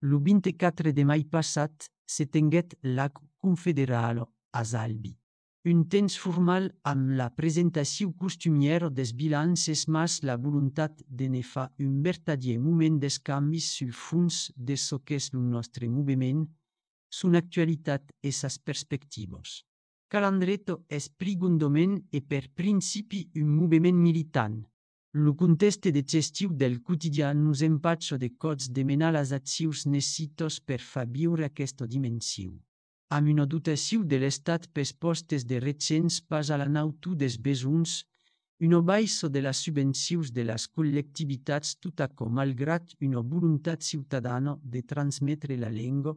Lo 24 de mai passat se tenguet l'acte confederal a Salvi. Un temps formal amb la presentació costumiera des bilances mas la voluntat de ne fa un vertadier moment d'escanvis sul fons de so qu'és el nostre moviment, son actualitat e sas perspectives. Calandreto és prigondoment e per principi un moviment militant. Lo conteste de gestiu del quotidià nos empatxa de cots de menar las accions necessitos per fa viure aquesta dimensió. Amb una dotació de l'Estat pels postes de recents pas a la nautu des besuns, una baissa de les subvencions de les col·lectivitats tot açò malgrat una voluntat ciutadana de transmetre la llengua,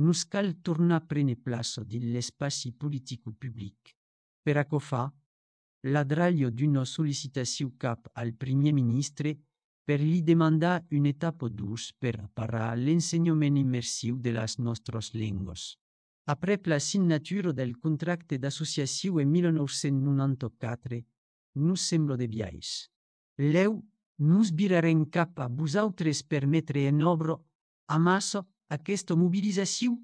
nos cal tornar a prendre plaça dins l'espai politico public. Per açò fa, l'adraglio d'una sol·licitació cap al Primer Ministre per li demandar una etapa d'ús per parar l'ensenyament immersiu de les nostres llengües. Après la signatura del contracte d'associació en 1994, nos sembla de biais. Leu, nos virarem cap a vosaltres per metre en obra, a massa, aquesta mobilització?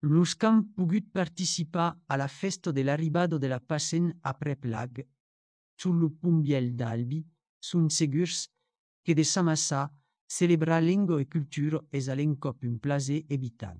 Los que han pogut participar a la festa de l'arribada de la Passen après Plague, sul lo pont Biel d'Albi, són segurs que de sa massa celebrar llengua e cultura és a l'encop un plaser evitant.